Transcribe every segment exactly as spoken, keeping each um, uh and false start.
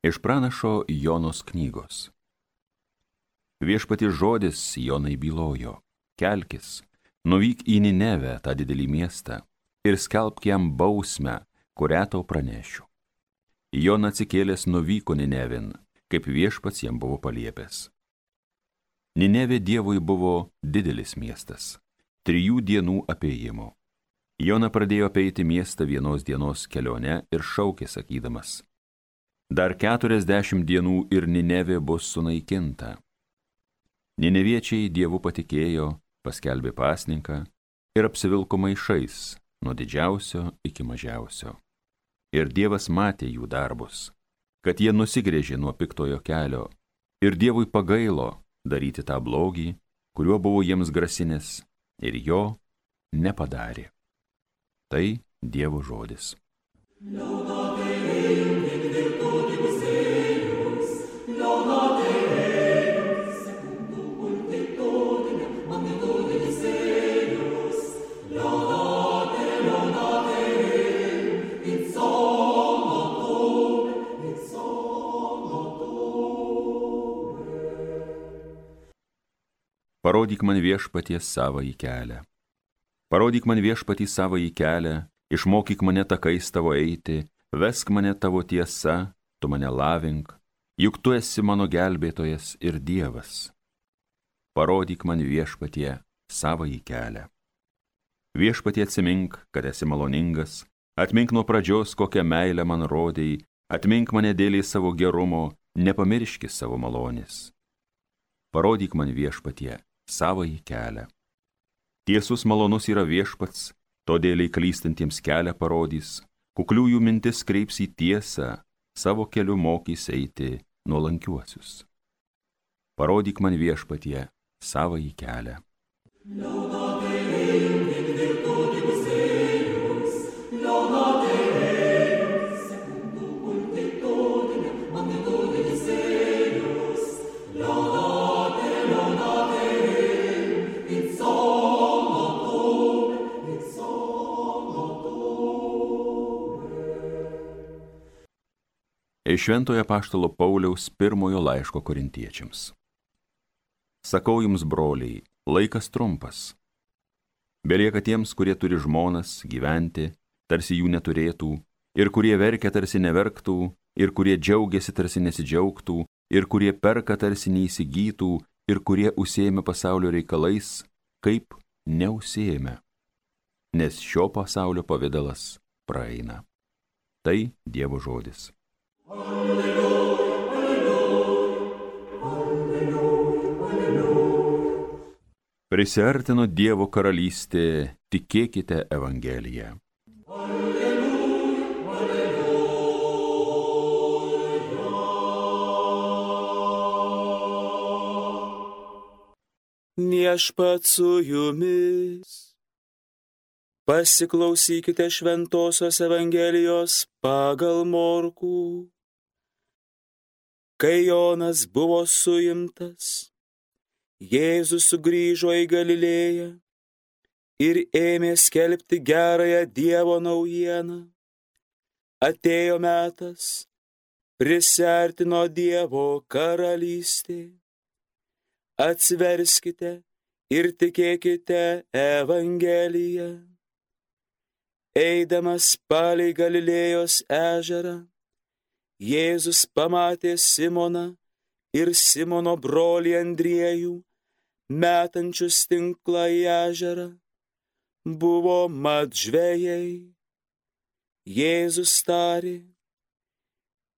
Iš pranašo Jonos knygos. Viešpaties žodis Jonai bylojo: kelkis, nuvyk į Ninevę, tą didelį miestą, ir skelbk jam bausmę, kurią tau pranešiu. Jona atsikėlęs nuvyko Ninevin, kaip viešpats jam buvo paliepęs. Ninevė Dievui buvo didelis miestas, trijų dienų apėjimo. Jona pradėjo apeiti miestą vienos dienos kelionę ir šaukė sakydamas: dar keturiasdešimt dienų ir Ninevė bus sunaikinta. Nineviečiai Dievu patikėjo, paskelbė pasninką ir apsivilko maišais nuo didžiausio iki mažiausio. Ir Dievas matė jų darbus, kad jie nusigręžė nuo piktojo kelio, ir Dievui pagailo daryti tą blogį, kuriuo buvo jiems grasinęs, ir jo nepadarė. Tai Dievo žodis. Parodyk man viešpatie savąjį kelią. Parodyk man viešpatį savąjį kelią, išmokyk mane takais tavo eiti, vesk mane tavo tiesa, tu mane lavink, juk tu esi mano gelbėtojas ir Dievas. Parodyk man viešpatie savąjį kelią. Viešpatie atsimink, kad esi maloningas, atmink nuo pradžios, kokią meilę man rodei, atmink mane dėlį savo gerumo, nepamirški savo malonės. Parodyk man viešpatie savąjį kelią. Tiesus malonus yra viešpats, todėl klystantiems kelią parodys, kukliųjų mintis kreips į tiesą, savo keliu mokys eiti nuolankiuosius. Parodyk man viešpatie savąjį kelią. Iš Šventojo apaštalo Pauliaus pirmojo laiško korintiečiams. Sakau jums, broliai, laikas trumpas. Belieka tiems, kurie turi žmonas, gyventi, tarsi jų neturėtų, ir kurie verkia, tarsi neverktų, ir kurie džiaugiasi, tarsi nesidžiaugtų, ir kurie perka, tarsi neįsigytų, ir kurie užsiėmė pasaulio reikalais, kaip neužsiėmė, nes šio pasaulio pavidalas praeina. Tai Dievo žodis. Alleluja, alleluja, alleluja, alleluja. Prisiartino Dievo karalystė, tikėkite Evangeliją. Alleluja, alleluja. Viešpats su jumis. Pasiklausykite Šventosios Evangelijos pagal Morkų. Kai Jonas buvo suimtas, Jėzus sugrįžo į Galilėją ir ėmė skelbti gerąją Dievo naujieną. Atėjo metas, prisiartino Dievo karalystė. Atsiverskite ir tikėkite Evangeliją. Eidamas palei Galilėjos ežerą, Jėzus pamatė Simoną ir Simono brolį Andriejų, metančius tinklą į ežerą. Buvo mat žvejai. Jėzus tarė: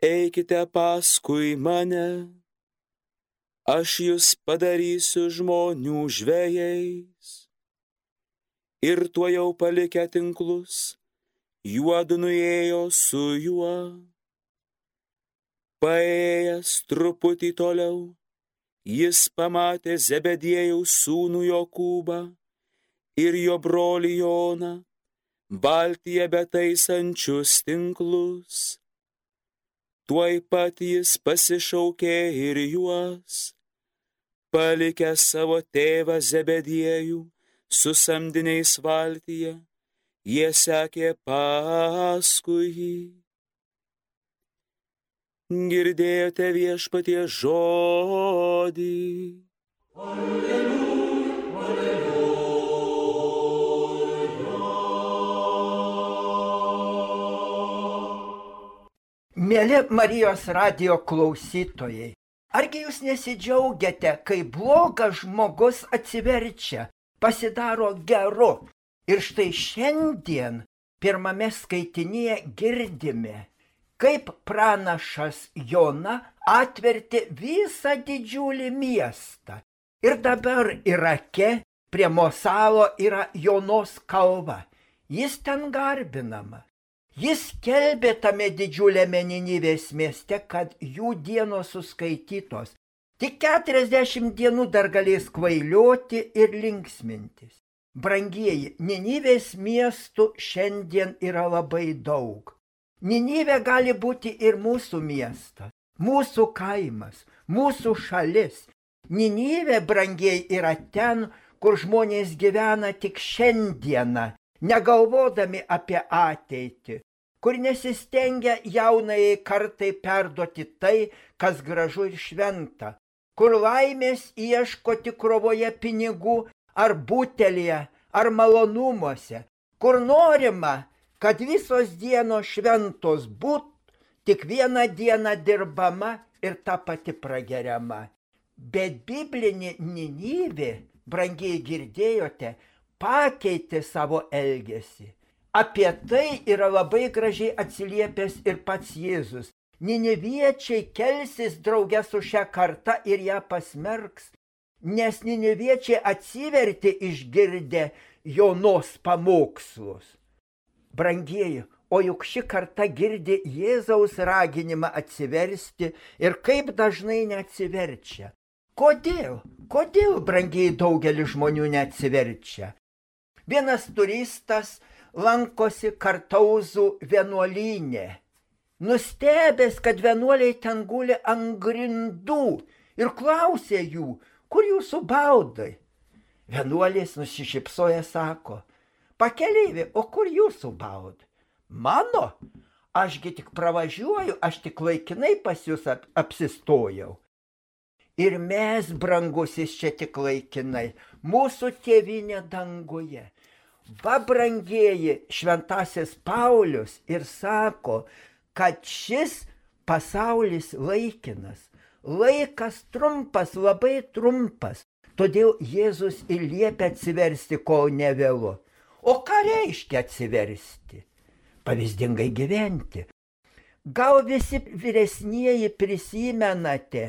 eikite paskui mane, aš jus padarysiu žmonių žvejais. Ir tuojau palikę tinklus, juodu nuėjo su juo. Paėjęs truputį toliau, jis pamatė Zebediejaus sūnų Jokūbą ir jo brolį Joną, valtyje betaisančius tinklus. Tuoj pat jis pasišaukė ir juos, palikęs savo tėvą Zebediejų su samdiniais valtyje, jie sekė paskui jį. Girdėjote Viešpaties žodį. Alleluja, alleluja. Mėly Marijos radijo klausytojai, argi jūs nesidžiaugiate, kai blogas žmogus atsiverčia, pasidaro geru? Ir štai šiandien pirmame skaitinyje girdime, kaip pranašas Jona atvertė visą didžiulį miestą. Ir dabar Irake prie Mosalo yra Jonos kalva. Jis ten garbinama. Jis skelbė tame didžiuliame Ninivės mieste, kad jų dienos suskaitytos. Tik keturiasdešimt dienų dar galės kvailioti ir linksmintis. Brangieji, Ninivės miestų šiandien yra labai daug. Ninivė gali būti ir mūsų miestas, mūsų kaimas, mūsų šalis. Ninivė, brangieji, yra ten, kur žmonės gyvena tik šiandieną, negalvodami apie ateitį, kur nesistengia jaunajai kartai perduoti tai, kas gražu ir šventa, kur laimės ieško tik krovoje pinigų ar butelyje, ar malonumuose, kur norima, kad visos dienos šventos būt, tik vieną dieną dirbama ir ta pati prageriama. Bet biblinė Ninivė, brangiai girdėjote, pakeitė savo elgesį. Apie tai yra labai gražiai atsiliepęs ir pats Jėzus. Niniviečiai kelsis drauge su šia karta ir ją pasmerks, nes niniviečiai atsivertė išgirdę Jonos pamokslus. Brangieji, o juk ši karta girdi Jėzaus raginimą atsiversti ir kaip dažnai neatsiverčia. Kodėl? Kodėl, brangieji, daugelis žmonių neatsiverčia? Vienas turistas lankosi Kartauzų vienuolyne. Nustebęs, kad vienuoliai ten guli ant grindų ir klausė jų, kur jūsų baudai? Vienuolis nusišypsoja, sako, pakeleivi, o kur jūsų baudai? Mano? Ašgi tik pravažiuoju, aš tik laikinai pas jūs ap apsistojau. Ir mes, brangusis, čia tik laikinai, mūsų tėvynė danguje. Va, brangieji, šventasis Paulius ir sako, kad šis pasaulis laikinas, laikas trumpas, labai trumpas, todėl Jėzus ir liepia atsiversti, kol nevėlu. O ką reiškia atsiversti? Pavyzdingai gyventi. Gal visi vyresnieji prisimenate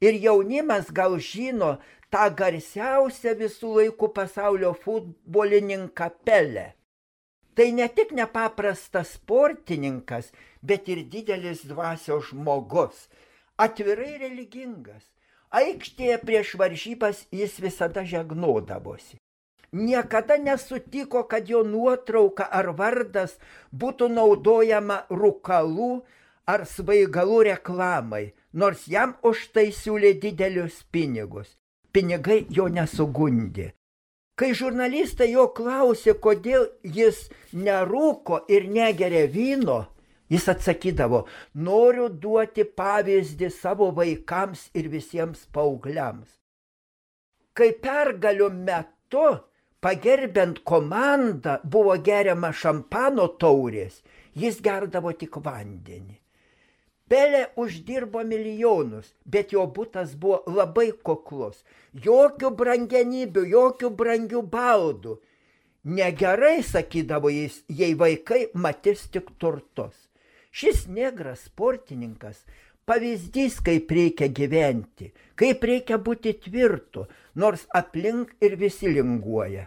ir jaunimas gal žino tą garsiausią visų laikų pasaulio futbolininką Pelę. Tai ne tik nepaprastas sportininkas, bet ir didelis dvasios žmogus, atvirai religingas. Aikštėje prieš varžybas jis visada žegnodavosi. Niekada nesutiko, kad jo nuotrauka ar vardas būtų naudojama rūkalų ar svaigalų reklamai, nors jam už tai siūlė didelius pinigus. Pinigai jo nesugundė. Kai žurnalistai jo klausė, kodėl jis nerūko ir negeria vyno, jis atsakydavo, noriu duoti pavyzdį savo vaikams ir visiems paaugliams. Kai pergalių metu, pagerbiant komandą, buvo geriama šampano taurės, jis gerdavo tik vandenį. Pelė uždirbo milijonus, bet jo butas buvo labai kuklus. Jokių brangenybių, jokių brangių baldų. Negerai, sakydavo jis, jei vaikai matys tik turtus. Šis negras sportininkas pavyzdys, kaip reikia gyventi, kaip reikia būti tvirtu, nors aplink ir visi linguoja.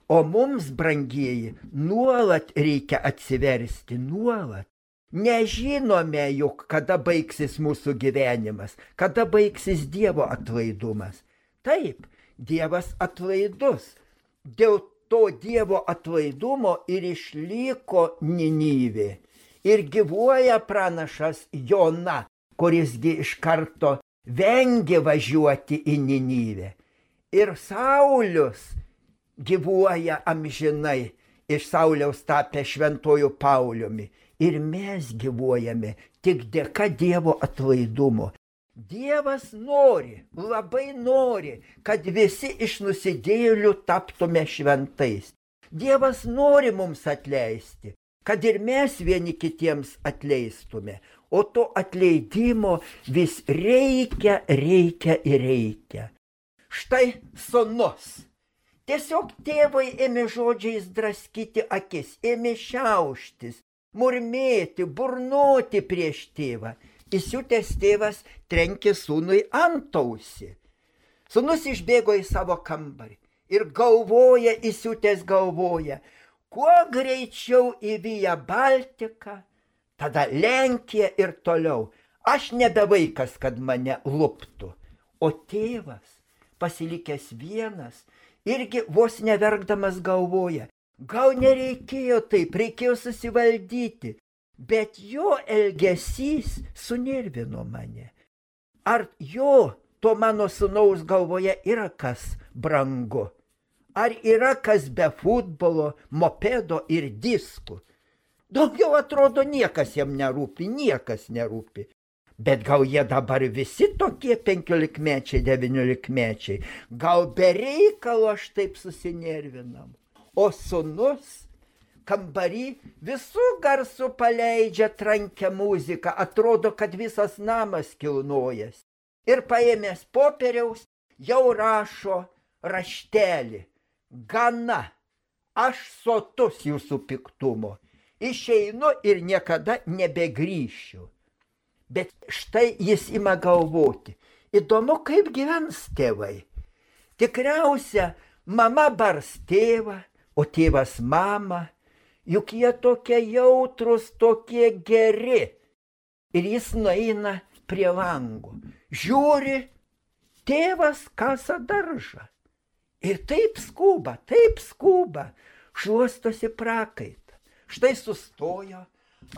O mums, brangieji, nuolat reikia atsiversti, nuolat. Nežinome juk, kada baigsis mūsų gyvenimas, kada baigsis Dievo atlaidumas. Taip, Dievas atlaidus. Dėl to Dievo atlaidumo ir išliko Ninivė. Ir gyvuoja pranašas Jona, kurisgi iš karto vengė važiuoti į Ninivę. Ir Saulius gyvuoja amžinai, iš Sauliaus tapę šventuoju Pauliumi. ir mes gyvuojame tik dėka Dievo atlaidumo. Dievas nori, labai nori, kad visi iš nusidėjėlių taptume šventais. Dievas nori mums atleisti, kad ir mes vieni kitiems atleistume. O to atleidimo vis reikia, reikia ir reikia. Štai sūnus. Tiesiog tėvai ėmė žodžiais draskyti akis, ėmė šiauštis, murmėti, burnoti prieš tėvą. Įsiutęs tėvas trenkė sūnui antausį. Sūnus išbėgo į savo kambarį ir galvoja, įsiutęs galvoja, kuo greičiau į Via Baltica, tada Lenkija ir toliau. Aš nebe vaikas, kad mane luptų. O tėvas, pasilikęs vienas, irgi vos neverkdamas galvoja, gal nereikėjo taip, reikėjo susivaldyti, bet jo elgesys sunervino mane. Ar jo, to mano sūnaus galvoje yra kas brangu? Ar yra kas be futbolo, mopedo ir diskų? Daugiau atrodo niekas jam nerūpi, niekas nerūpi. Bet gal jie dabar visi tokie penkiolikmečiai, devyniolikmečiai, gal be reikalo aš taip susinervinam. O sūnus kambarį visų garsų paleidžia trankę muziką, atrodo, kad visas namas kilnojas. Ir paėmęs popieriaus jau rašo raštelį. Gana, aš sotus jūsų piktumo. Išeinu ir niekada nebegrįšiu. Bet štai jis ima galvoti. Įdomu, kaip gyvens tėvai. Tikriausia, mama bars tėvą, o tėvas mamą. Juk jie tokie jautrus, tokie geri. Ir jis nueina prie lango. Žiūri, tėvas kasa daržą. Ir taip skuba, taip skuba, šluostosi prakaitą. Štai sustojo,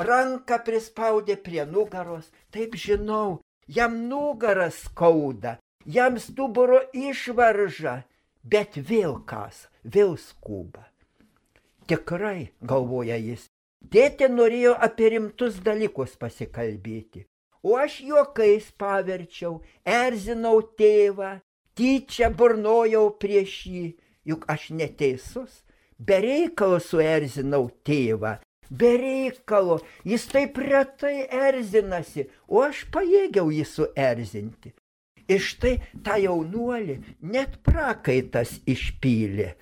ranką prispaudė prie nugaros, taip žinau, jam nugaras skauda, jam stuburo išvarža, bet vėl kasa, vėl skuba. Tikrai, galvoja jis, tėtė norėjo apie rimtus dalykus pasikalbėti, o aš juokais paverčiau, erzinau tėvą, tyčia burnojau prieš jį, juk aš neteisus, be reikalo suerzinau tėvą, be reikalo, jis taip retai erzinasi, o aš pajėgiau jį suerzinti. Ir štai tą jaunuolį net prakaitas išpylė.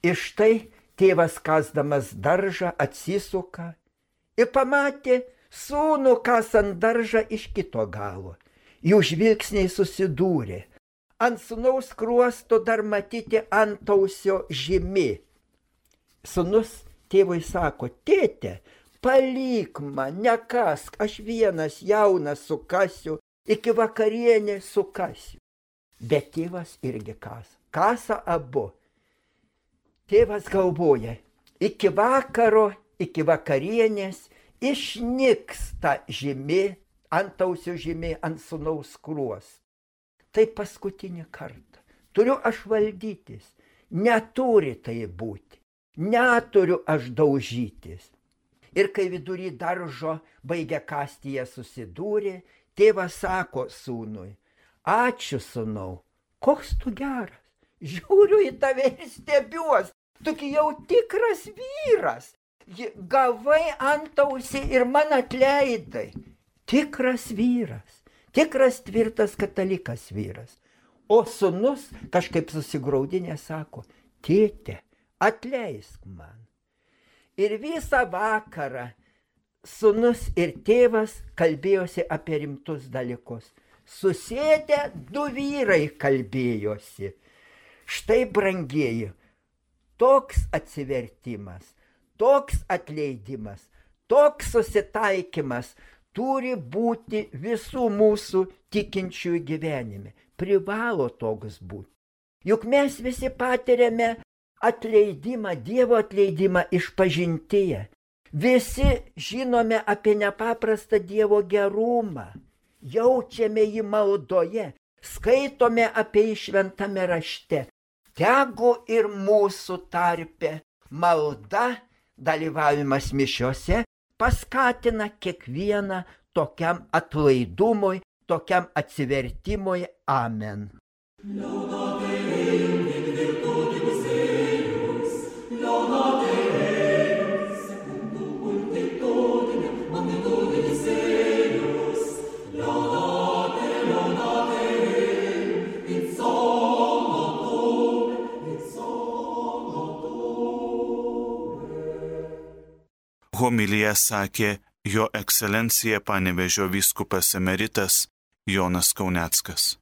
Ir štai tėvas kasdamas daržą atsisuka ir pamatė sūnų kasant daržą iš kito galo. Jų žvilgsniai susidūrė. Ant sūnaus skruosto dar matyti antausio žymi. Sūnus tėvui sako, tėte, palik man, nekask, aš vienas jaunas sukasiu, iki vakarienės sukasiu. Bet tėvas irgi kasa, kasa abu. Tėvas galvoja, iki vakaro, iki vakarienės išnyks ta žymi, antausio žymi ant sūnaus skruosto. Tai paskutinį kartą. Turiu aš valdytis. Neturi tai būti. Neturiu aš daužytis. Ir kai vidury daržo baigia kasti jie susidūrė, tėvas sako sūnui, ačiū sūnau, koks tu geras. Žiūriu į tave ir stebiuos. Tugi jau tikras vyras. Gavai antausį ir man atleidai. Tikras vyras. Tikras tvirtas katalikas vyras. O sūnus kažkaip susigraudinė sako, tėte, atleisk man. Ir visą vakarą sūnus ir tėvas kalbėjosi apie rimtus dalykus. Susėdę du vyrai kalbėjosi. Štai, brangieji, toks atsivertimas, toks atleidimas, toks susitaikymas turi būti visų mūsų tikinčiųjų gyvenime. Privalo toks būti. Juk mes visi patiriame atleidimą, Dievo atleidimą išpažintyje. Visi žinome apie nepaprastą Dievo gerumą. Jaučiame jį maldoje. Skaitome apie jį šventame rašte. Tegu ir mūsų tarpe malda, dalyvavimas mišiose paskatina kiekvieną tokiam atlaidumui, tokiam atsivertimui. Amen. Homiliją sakė Jo ekscelencija Panevėžio vyskupas emeritas Jonas Kauneckas.